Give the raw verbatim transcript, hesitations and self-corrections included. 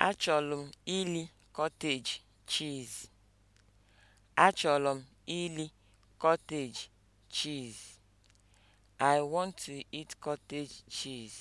Achọrọ m iri cottage cheese. Achọrọ m iri cottage cheese. I want to eat cottage cheese.